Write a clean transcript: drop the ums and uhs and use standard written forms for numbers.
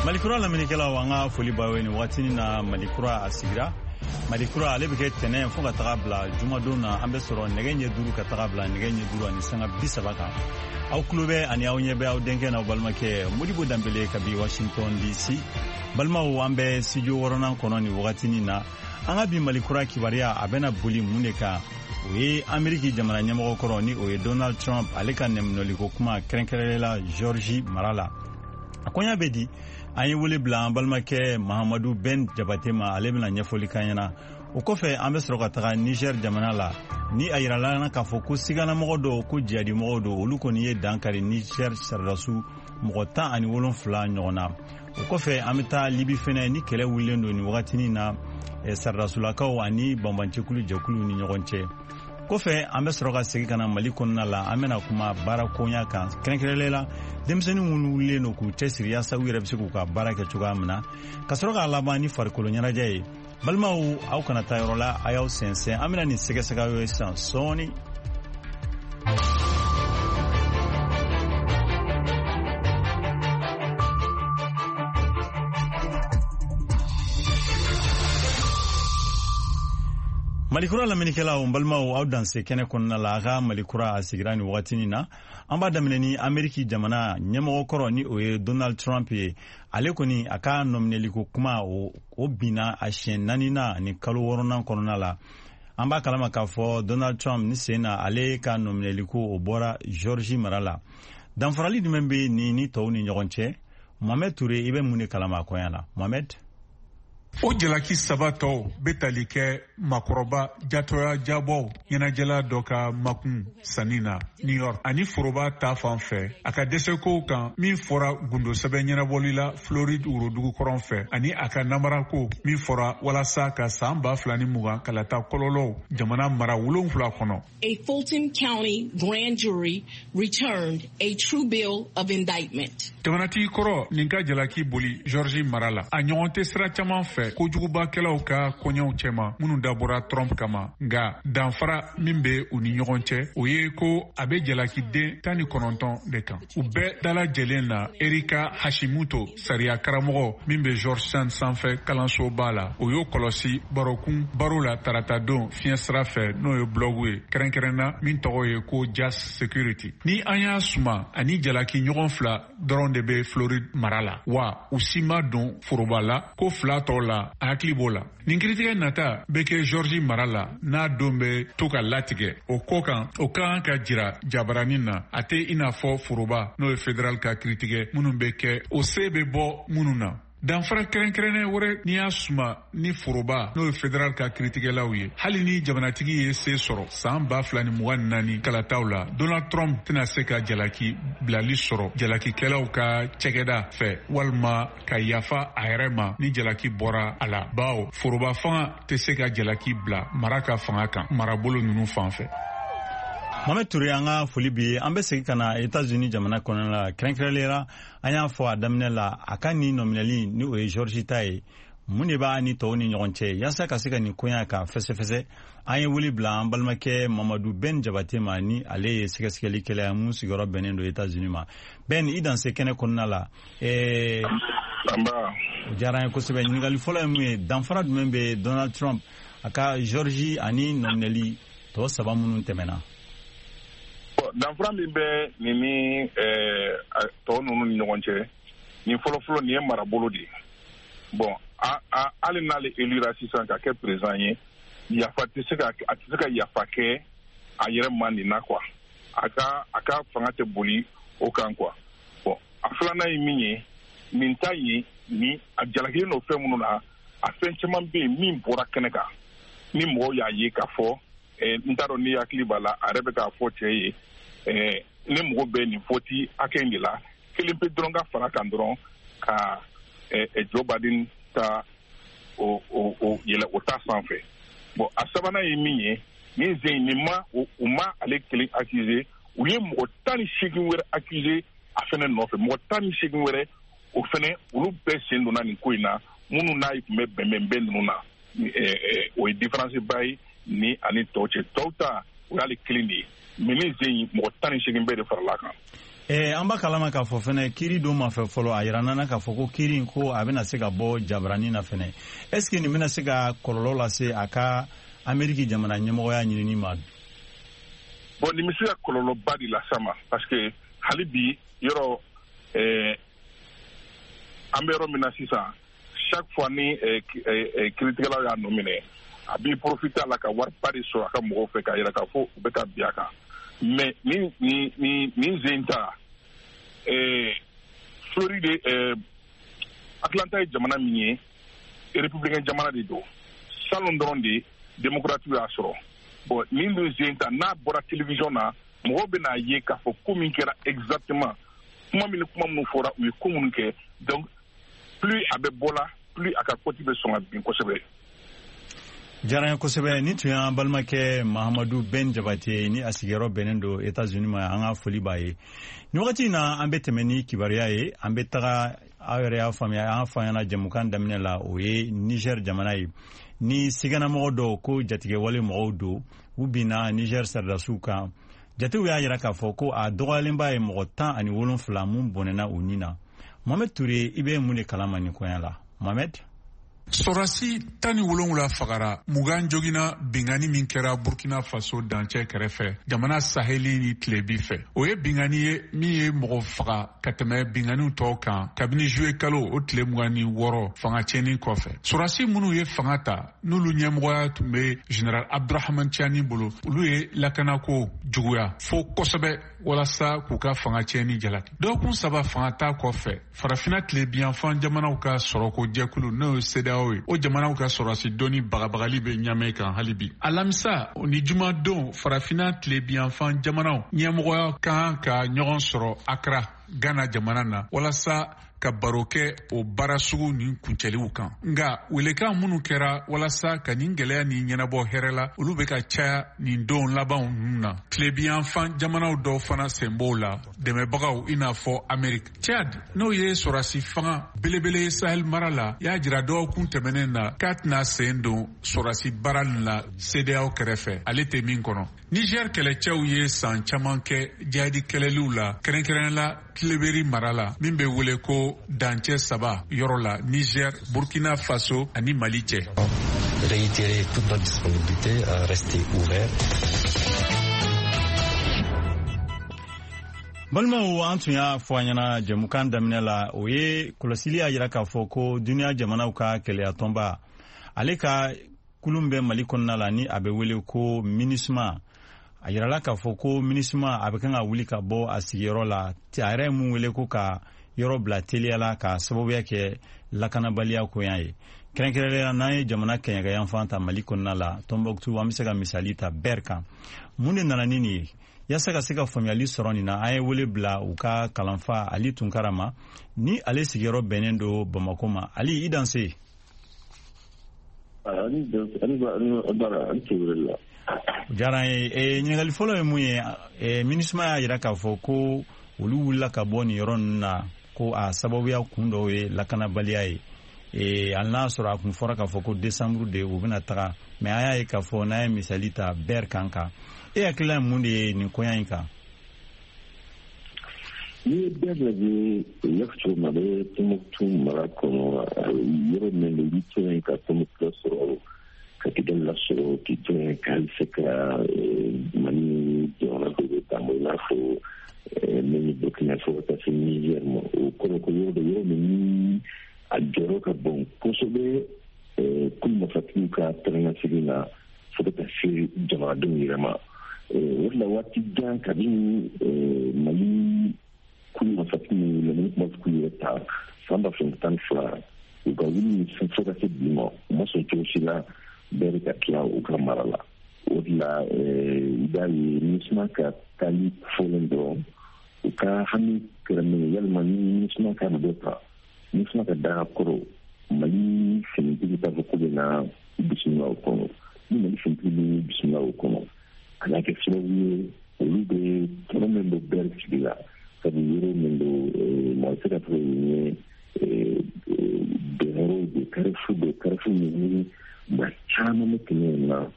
Malikura lamɛnnikɛlaw, an ka foli b'aw ye nin waatinin na. Malikura a sigira. Malikura ale bɛ kɛ tɛnɛ fo ka taga bila jumadon na. An bɛ sɔrɔ nɛgɛ ɲɛ 5 ka taga bila nɛgɛ ɲɛ 5:30 kan. Aw tulo bɛ ani aw ɲɛ bɛ aw denkɛ n'aw balimakɛ Modibo Danbele kabi Washington DC. Balimaw, an bɛ studio 6nan kɔnɔ nin wagatinin na. An ka bi Malikura kibaruya, a bɛna boli mun de kan? O ye Ameriki jamana ɲɛmɔgɔ kɔrɔ, ni o ye Donald Trump, ale ka nɛminɛliko kuma, kɛrɛnkɛrɛnnenya la Georgie mara la. A koɲa bɛ di? An ye wele bila an balimakɛ Mahamadu Ben Jabate ma, ale bɛna ɲɛfɔli k'an ɲɛna. O kɔfɛ, an bɛ sɔrɔ ka taga Niger jamana la, ni a yirala na k'a fɔ ko siganamɔgɔ dɔw ko jihadimɔgɔw don, olu kɔni ye dan kari Niger sɔrɔdasiw mɔgɔ 17 ɲɔgɔn na. O kɔfɛ, an bɛ taa Libi fɛnɛ, ni kɛlɛ wulilen don nin wagatinin na sɔrɔdasulakaw ani banbancɛkulu jɛkuluw ni ɲɔgɔn cɛ. Kɔfɛ, an bɛ sɔrɔ ka segin ka na Mali kɔnɔna la. An bɛna kuma baara koɲa kan, kɛrɛnkɛrɛnlen la denmisɛnnin minnu wulilen don k'u cɛsiri yaasa u yɛrɛ bɛ se k'u ka baara kɛ cogoya min na, ka sɔrɔ k'a laban ni farikolo ɲɛnajɛ ye. Balimaw, aw kana taa yɔrɔ la, a y'aw sɛnsɛn, an bɛna nin sɛgɛsɛgɛ aw ye sisan sɔɔni. Malikura lamɛnnikɛlaw, n balimaw, aw danse kɛnɛ kɔnɔna la. A ka Malikura a sigira nin wagatinin na. An b'a daminɛ ni Ameriki jamana ɲɛmɔgɔ kɔrɔ, ni o ye Donald Trump ye. Ale kɔni, a ka nɔminɛliko kuma, o binna a siɲɛ naaninan ni kalo 6nan kɔnɔna la. An b'a kalama k'a fɔ Donald Trump ni sen na, ale ka nɔminɛliko, o bɔra Georgie mara la. Danfarali jumɛn bɛ nin ni tɔw ni ɲɔgɔn cɛ? Mohamed Touré, i bɛ mun de kalama a koɲa la, Mohamed? O jalaki saba tɔw bɛ tali kɛ makɔrɔba jatɔya jabɔw ɲɛnajɛla dɔ ka makun sanni na New York, ani foroba ta fan fɛ a ka dɛsɛkow kan min fɔra gundosɛbɛn ɲɛnabɔli la Floride worodugu kɔrɔn fɛ, ani a ka namarako min fɔra walasa ka san 2020 kalata kɔlɔlɔw jamana mara 7 kɔnɔ. A Fulton County grand jury returned a true bill of indictment. Jamanatigi kɔrɔ nin ka jalaki boli Georgie mara la, a ɲɔgɔn tɛ sira caman fɛ kojugubakɛlaw ka koɲɛw cɛma minnu dabɔra Trump kama. Nka danfara min bɛ u ni ɲɔgɔn cɛ, o ye ko a bɛ jalakiden 19 de kan, u bɛɛ dalajɛlen na. Erika Hashimoto, sariya karamɔgɔ min bɛ Georgetown sanfɛ kalansoba la, o y'o kɔlɔsi barokun baro la taratadon fiɲɛ sira fɛ, n'o ye blɔgu ye kɛrɛnkɛrɛnna min tɔgɔ ye ko Just Security. Ni an y'a suma, ani jalaki ɲɔgɔn fila dɔrɔn de bɛ Floride mara la, wa u si ma don foroba la ko fila tɔw la, a hakili b'o la. Nin kiritigɛ nata bɛ kɛ Georgie mara la, n'a don bɛ to ka latigɛ o kɔ kan, o ka kan ka jira jabaranin na. A tɛ i n'a fɔ foroba, n'o ye federal ka kiritigɛ minnu bɛ kɛ, o se bɛ bɔ minnu na. Danfara kɛrɛnkɛrɛnnen wɛrɛ n'i y'a suma ni foroba, n'o ye federal ka kiritigɛlaw ye, hali ni jamanatigi ye se sɔrɔ san 2024 kalataw la, Donald Trump tɛna se ka jalaki bilali sɔrɔ jalakikɛlaw ka cɛgɛda fɛ walima ka yafa a yɛrɛ ma ni jalaki bɔra a la, bawo foroba fanga tɛ se ka jalaki bila mara ka fanga kan marabolo ninnu fan fɛ. Mohamed Touré, an ka foli bi ye. An bɛ segin ka na États-Unis jamana kɔnɔna la, kɛrɛnkɛrɛnnenya la an y'a fɔ a daminɛ la, a ka nin nɔminɛli, ni o ye Georgie ta ye, mun de b'a ni tɔw ni ɲɔgɔn cɛ? Yaasa ka se ka nin koɲa ka fɛsɛfɛsɛ, an ye wele bila an balimakɛ Mamadu Ben Jabate ma, ni ale ye sɛgɛsɛgɛlikɛla ye mun sigiyɔrɔ bɛnnen don États-Unis ma. Ben, i danse kɛnɛ kɔnɔna la. O diyara an ye kosɛbɛ. Ɲininkali fɔlɔ ye mun ye? Danfara jumɛn bɛ Donald Trump a ka Georgie ani nɔminɛli tɔ saba minnu tɛmɛna? Danfara min bɛ nin ni tɔ ninnu ni ɲɔgɔn cɛ, nin fɔlɔfɔlɔ, nin ye marabolo de ye. Bon, hali n'ale élira sisan ka kɛ président ye, yafa tɛ se ka, a tɛ se ka yafa kɛ a yɛrɛ ma nin na quoi. A ka fanga tɛ boli o kan quoi. Bon, a filanan ye min ye, nin ta ye ni a jalakilen don fɛn minnu na, a fɛn caman bɛ yen min bɔra kɛnɛ kan ni mɔgɔw y'a ye k'a fɔ. N t'a dɔn n'i hakili b'a la, a yɛrɛ bɛ k'a fɔ cɛ ye, ne mago bɛ nin vote hakɛ in de la, kelen pe dɔrɔn ka fara kan dɔrɔn ka Joe Biden ta o yɛlɛ o ta sanfɛ. Bon, a sabanan ye min ye, nin sen nin ma, u ma ale kelen accuser, u ye mɔgɔ 18 wɛrɛ accuser a fɛnɛ nɔfɛ, mɔgɔ 18 wɛrɛ, o fɛnɛ olu bɛɛ sen donna nin ko in na, minnu n'a tun bɛ bɛnbɛnbɛn ninnu na. O ye différence ba ye ni ani tɔw cɛ. Tɔw ta, o y'ale kelen de ye, mais nin sen in, mɔgɔ 18 bɛɛ de farala kan. An b'a kalama k'a fɔ fɛnɛ kiiri don ma fɛ fɔlɔ, a yira nana k'a fɔ ko kiiri in ko a bɛna se ka bɔ jabarani na fɛnɛ. Est ce que nin bɛna se ka kɔlɔlɔ lase a ka Ameriki jamana ɲɛmɔgɔya ɲinini ma? Bon, nin bɛ se ka kɔlɔlɔba de las'a ma, parce que hali bi yɔrɔ an bɛ yɔrɔ min na sisan, chaque fois ni kiiritigɛlaw y'a nɔ minɛ, a b'i profiter a la ka wariba de sɔrɔ a ka mɔgɔw fɛ k'a yira k'a fɔ u bɛ ka bin a kan. Mais ni zen ta, Floride, Atlanta ye jamana min ye, républicain jamana de don. Salon dɔrɔn de démocrate y'a sɔrɔ. Bon, nin dun zen ta, n'a bɔra télévision na, mɔgɔw bɛna ye k'a fɔ ko min kɛra exactement, kuma min ni kuma minnu fɔra, u ye ko minnu kɛ. Donc plus a bɛ bɔ la, plus a ka cote bɛ sɔn ka bin kosɛbɛ. Diyara n ye kosɛbɛ. Ni tun y'an balimakɛ Mahamadu Ben Jabate ni a sigiyɔrɔ bɛnnen don Etats-Unis ma, an ka foli b'a ye. Nin wagati in na, an bɛ tɛmɛ ni kibaruya ye. An bɛ taga, aw yɛrɛ y'a faamuya, an fa ɲɛna jɛmukan daminɛ la, o ye Niger jamana ye, ni siganamɔgɔ dɔw ko jatigɛwale mɔgɔw don, u binna Niger sɔrɔdasiw kan. Jatew y'a yira k'a fɔ ko a dɔgɔyalenba ye mɔgɔ 17 mun bɔnɛna u ni na. Mohamed Touré, i bɛ mun de kalama nin koɲa la, Mohamed? Sɔrɔdasi 17 fagara, 20 joginna bingani min kɛra Burkina Faso dancɛ kɛrɛfɛ, jamana saheli ni tilebi fɛ. O ye bingani ye min ye mɔgɔ faga ka tɛmɛ binganiw tɔw kan kabini juillet kalo o tile 26 fanga tiɲɛni kɔfɛ. Sɔrɔdasi minnu ye fanga ta, n'olu ɲɛmɔgɔya tun bɛ général Abdurahman Tiani bolo, olu ye lakanako juguya fo kosɛbɛ walasa k'u ka fanga tiɲɛni jalaki. Dɔgɔkun 3 fanga ta kɔfɛ, Farafina tilebiyanfan jamanaw ka sɔrɔko jɛkulu, n'o ye CEDEAO ye, o jamanaw ka sɔrɔdasi dɔnni bagabagali bɛ ɲamɛ kan hali bi. Alamisa ni jumadon, Farafina tilebiyanfan jamanaw ɲɛmɔgɔya kan ka ɲɔgɔn sɔrɔ Accra, Ghana jamana na, walasa ka baro kɛ o baara sugu nin kuncɛliw kan. Nka welekan minnu kɛra walasa ka nin gɛlɛya nin ɲɛnabɔ hɛrɛ la, olu bɛ ka caya nin don labanw ninnu na. Tilebiyanfan jamanaw dɔw fana sen b'o la, dɛmɛbagaw i n'a fɔ Ameriki. Chad, n'o ye sɔrɔdasi fanga belebele ye Sahel mara la, y'a jira dɔgɔkun tɛmɛnen na k'a tɛna sen don sɔrɔdasi baara nin la CEDEAO kɛrɛfɛ, ale tɛ min kɔnɔ. Niger kɛlɛcɛw ye san caman kɛ jihadi kɛlɛliw la, kɛrɛnkɛrɛnnen la Tileberi mara la, min bɛ wele ko dancɛ 3 yɔrɔ la, Niger, Burkina Faso ani Mali cɛ. Réitérer toute notre disponibilité à rester ouvert. Balimaw, an tun y'a fɔ an ɲɛna jɛmukan daminɛ la, o ye kɔlɔsili y'a yira k'a fɔ ko duniya jamanaw ka kɛlɛyatɔnba, ale ka kulun bɛ Mali kɔnɔna la, ni a bɛ wele ko MINUSMA. A yirala k'a fɔ ko MINUSMA a bɛ kan ka wuli ka bɔ a sigiyɔrɔ la, a yɛrɛ ye mun wele ko ka yɔrɔ bila teliya la, ka sababuya kɛ lakanabaliya koɲa ye. Kɛrɛnkɛrɛnnenya, n'an ye jamana kɛɲɛkɛyanfan ta Mali kɔnɔna la, Tɔnbɔkutu, an bɛ se ka misali ta Bɛr kan. Mun de nana ni nin ye? Yaasa ka se ka faamuyali sɔrɔ nin na, an ye wele bila u ka kalanfa Ali Tunkara ma, ni ale sigiyɔrɔ bɛnnen don Bamako ma. Ali, i danse. Diyara n ye. Ɲininkali fɔlɔ ye mun ye? MINUSMA y'a yira k'a fɔ ko olu wulila ka bɔ nin yɔrɔ ninnu na, ko a sababuya kun dɔw ye lakanabaliya ye. Hali n'a sɔrɔ a kun fɔra k'a fɔ ko décembre de u bɛna taga, mais an y'a ye k'a fɔ n'an ye misali ta Bɛr kan, e hakilila ye mun de ye nin koɲa in kan? N'i ye Bɛr lajɛ, u y'a fɔ cogo min na, a bɛ Tɔnbɔkutu mara kɔnɔ, yɔrɔ min don, i bɛ to yen ka Tɔnbɔkutu lasɔrɔ, ka Kidali lasɔrɔ, k'i to yen ka hali se ka Mali jamana dɔw bɛ taama, i n'a fɔ min ye Burkina fo ka taa se Niger ma. O kɔrɔ ko yɔrɔ dɔ, yɔrɔ min ni a jɔyɔrɔ ka bon kosɛbɛ kulu marifatigiw ka taa na fo ka taa se jamanadenw yɛrɛ ma. O de la, waati jan kabini Mali kulu marifatigiw minnu wulila, ni kuma k'u yɛrɛ ta san 2012, u ka wuli ni fo ka se bi ma, u ma sɔn cogo si la bɛɛ ka tila u ka mara la. O de la, i b'a ye MINUSMA ka taali fɔlen dɔrɔn, u ka hami kɛra min ye, yalima ni MINUSMA ka dɔ ta, MINUSMA ka daga kɔrɔ, Mali finitigi t'a fɔ k'u bɛ na bisimila o kɔnɔ. Ni Mali finitigi bɛ bisimila o kɔnɔ, a n'a kɛ sababu ye olu bɛ tɔnɔ min bɛ Bɛr sigi la, sabu yɔrɔ min don, mɔgɔ tɛ se ka fɔ yen ye bɛnyɔrɔw de, carrefour de, carrefour min ni maa caman bɛ tɛmɛ yen na.